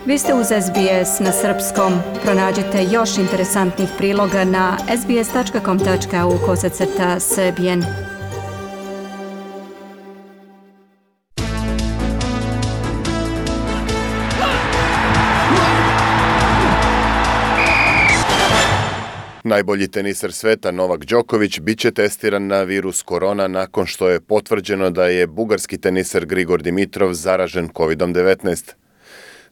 Vi ste uz SBS na srpskom. Pronađite još interesantnih priloga na sbs.com.au/srbijen. Najbolji teniser sveta Novak Đoković biće testiran na virus korona nakon što je potvrđeno da je bugarski teniser Grigor Dimitrov zaražen COVID-19.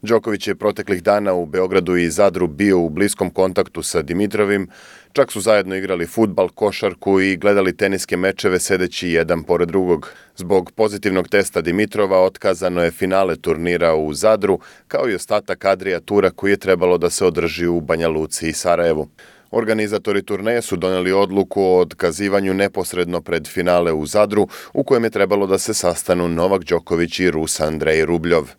Đoković je proteklih dana u Beogradu i Zadru bio u bliskom kontaktu sa Dimitrovim, čak su zajedno igrali fudbal, košarku i gledali teniske mečeve sedeći jedan pored drugog. Zbog pozitivnog testa Dimitrova otkazano je finale turnira u Zadru, kao i ostatak Adria tura koji je trebalo da se održi u Banja Luci i Sarajevu. Organizatori turneje su doneli odluku o otkazivanju neposredno pred finale u Zadru, u kojem je trebalo da se sastanu Novak Đoković i Rus Andrej Rubljov.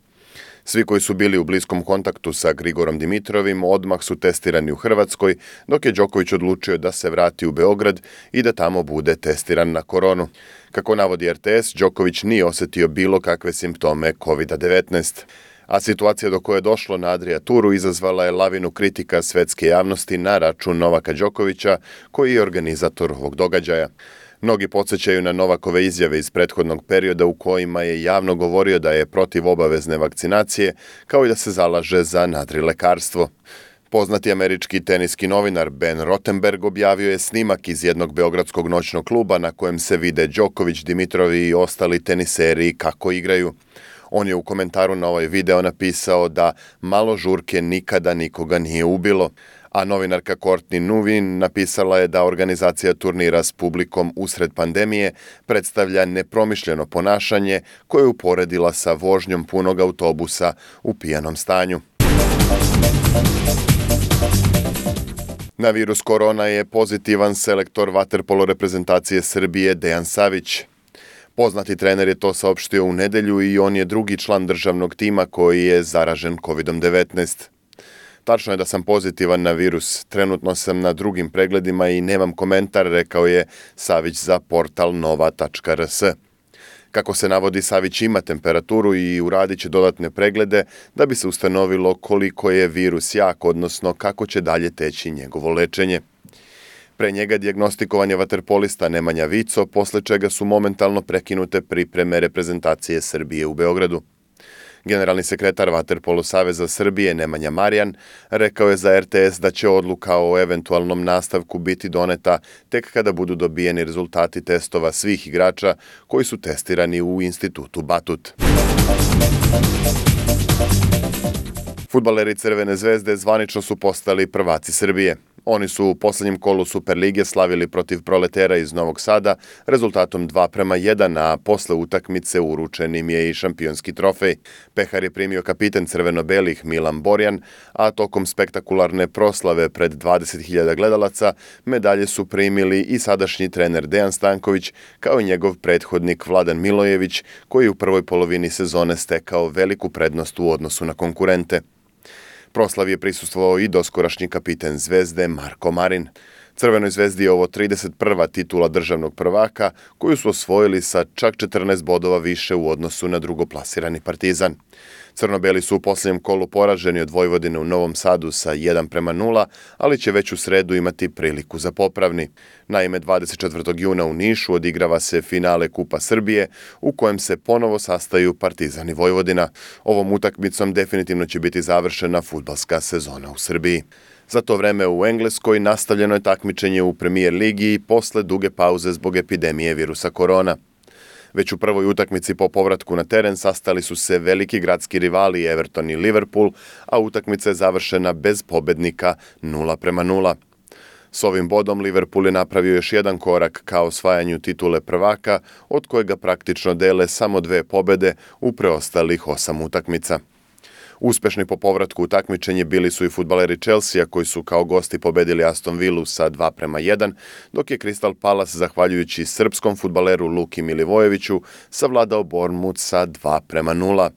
Svi koji su bili u bliskom kontaktu sa Grigorom Dimitrovim odmah su testirani u Hrvatskoj, dok je Đoković odlučio da se vrati u Beograd i da tamo bude testiran na koronu. Kako navodi RTS, Đoković nije osetio bilo kakve simptome COVID-19. A situacija do koje je došlo na Adria turu izazvala je lavinu kritika svetske javnosti na račun Novaka Đokovića, koji je organizator ovog događaja. Mnogi podsjećaju na Novakove izjave iz prethodnog perioda u kojima je javno govorio da je protiv obavezne vakcinacije, kao i da se zalaže za nadrilekarstvo. Poznati američki teniski novinar Ben Rottenberg objavio je snimak iz jednog beogradskog noćnog kluba na kojem se vide Đoković, Dimitrov i ostali teniseri kako igraju. On je u komentaru na ovaj video napisao da malo žurke nikada nikoga nije ubilo, a novinarka Courtney Nuvin napisala je da organizacija turnira s publikom usred pandemije predstavlja nepromišljeno ponašanje koje je uporedila sa vožnjom punog autobusa u pijanom stanju. Na virus korona je pozitivan selektor vaterpolo reprezentacije Srbije Dejan Savić. Poznati trener je to saopštio u nedelju i on je drugi član državnog tima koji je zaražen COVID-19. Tačno je da sam pozitivan na virus, trenutno sam na drugim pregledima i nemam komentar, rekao je Savić za portal nova.rs. Kako se navodi, Savić ima temperaturu i uradit će dodatne preglede da bi se ustanovilo koliko je virus jak, odnosno kako će dalje teći njegovo lečenje. Pre njega dijagnostikovan je vaterpolista Nemanja Vico, posle čega su momentalno prekinute pripreme reprezentacije Srbije u Beogradu. Generalni sekretar Vaterpolo saveza Srbije Nemanja Marjan rekao je za RTS da će odluka o eventualnom nastavku biti doneta tek kada budu dobijeni rezultati testova svih igrača koji su testirani u institutu Batut. Fudbaleri Crvene zvezde zvanično su postali prvaci Srbije. Oni su u poslednjem kolu Superlige slavili protiv Proletera iz Novog Sada rezultatom 2:1, a posle utakmice uručen im je i šampionski trofej. Pehar je primio kapiten crveno-belih Milan Borjan, a tokom spektakularne proslave pred 20.000 gledalaca medalje su primili i sadašnji trener Dejan Stanković, kao i njegov prethodnik Vladan Milojević, koji je u prvoj polovini sezone stekao veliku prednost u odnosu na konkurente. Proslavi je prisustvovao i doskorašnji kapiten Zvezde Marko Marin. Crvenoj zvezdi je ovo 31. titula državnog prvaka, koju su osvojili sa čak 14 bodova više u odnosu na drugoplasirani Partizan. Crno-beli su u posljednjem kolu poraženi od Vojvodine u Novom Sadu sa 1:0, ali će već u sredu imati priliku za popravni. Naime, 24. juna u Nišu odigrava se finale Kupa Srbije, u kojem se ponovo sastaju Partizan i Vojvodina. Ovom utakmicom definitivno će biti završena fudbalska sezona u Srbiji. Za to vreme u Engleskoj nastavljeno je takmičenje u Premier ligi posle duge pauze zbog epidemije virusa korona. Već u prvoj utakmici po povratku na teren sastali su se veliki gradski rivali Everton i Liverpool, a utakmica je završena bez pobednika 0:0. S ovim bodom Liverpool je napravio još jedan korak ka osvajanju titule prvaka, od kojega praktično dele samo 2 pobede u preostalih 8 utakmica. Uspešni po povratku u takmičenje bili su i fudbaleri Chelsea, koji su kao gosti pobedili Aston Villu sa 2:1, dok je Crystal Palace, zahvaljujući srpskom fudbaleru Luki Milivojeviću, savladao Bournemouth sa 2:0.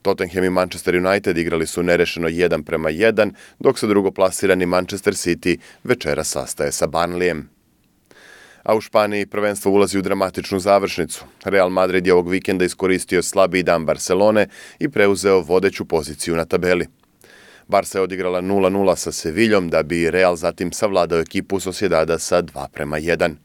Tottenham i Manchester United igrali su nerešeno 1:1, dok se drugoplasirani Manchester City večera sastaje sa Burnleyem. A u Španiji prvenstvo ulazi u dramatičnu završnicu. Real Madrid je ovog vikenda iskoristio slabiji dan Barcelone i preuzeo vodeću poziciju na tabeli. Barca je odigrala 0-0 sa Seviljom da bi Real zatim savladao ekipu Sociedada sa 2:1.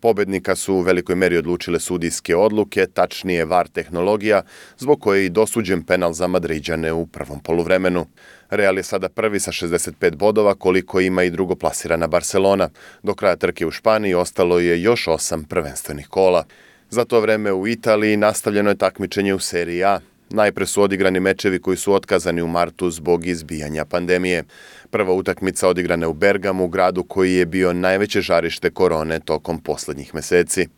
Pobednika su u velikoj meri odlučile sudijske odluke, tačnije VAR tehnologija, zbog koje je i dosuđen penal za Madriđane u prvom poluvremenu. Real je sada prvi sa 65 bodova, koliko ima i drugoplasirana Barcelona. Do kraja trke u Španiji ostalo je još 8 prvenstvenih kola. Za to vreme u Italiji nastavljeno je takmičenje u Seriji A. Najpre su odigrani mečevi koji su otkazani u martu zbog izbijanja pandemije. Prva utakmica odigrana je u Bergamu, gradu koji je bio najveće žarište korone tokom poslednjih meseci.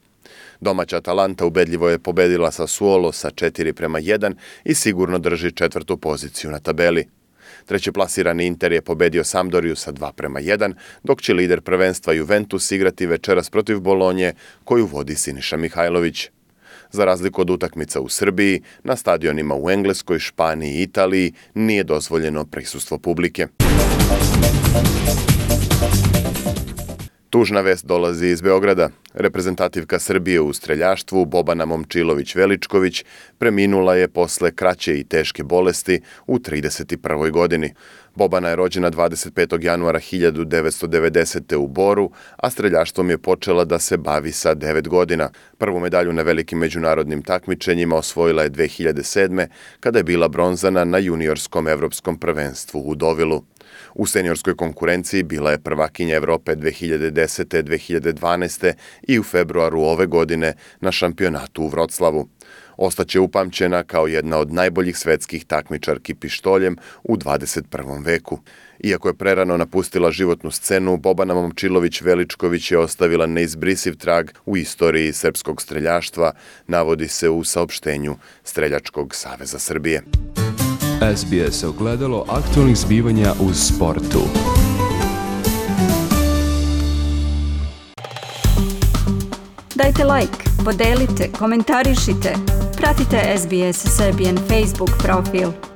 Domaća Atalanta ubedljivo je pobedila Sassuolo sa 4:1 i sigurno drži 4. poziciju na tabeli. Treći plasirani Inter je pobedio Sampdoriju sa 2:1, dok će lider prvenstva Juventus igrati večeras protiv Bolonje, koju vodi Siniša Mihajlović. Za razliku od utakmica u Srbiji, na stadionima u Engleskoj, Španiji i Italiji nije dozvoljeno prisustvo publike. Tužna vest dolazi iz Beograda. Reprezentativka Srbije u streljaštvu Bobana Momčilović-Veličković preminula je posle kraće i teške bolesti u 31. godini. Bobana je rođena 25. januara 1990. u Boru, a streljaštvom je počela da se bavi sa 9 godina. Prvu medalju na velikim međunarodnim takmičenjima osvojila je 2007. kada je bila bronzana na juniorskom evropskom prvenstvu u Dovilu. U seniorskoj konkurenciji bila je prvakinja Evrope 2010. 2012. i u februaru ove godine na šampionatu u Vroclavu. Ostaće upamćena kao jedna od najboljih svetskih takmičarki pištoljem u 21. veku. Iako je prerano napustila životnu scenu, Bobana Momčilović-Veličković je ostavila neizbrisiv trag u istoriji srpskog streljaštva, navodi se u saopštenju Streljačkog saveza Srbije. SBS ogledalo aktualnih zbivanja u sportu. Dajte like, podelite, komentarišite. Pratite SBS Serbian Facebook profil.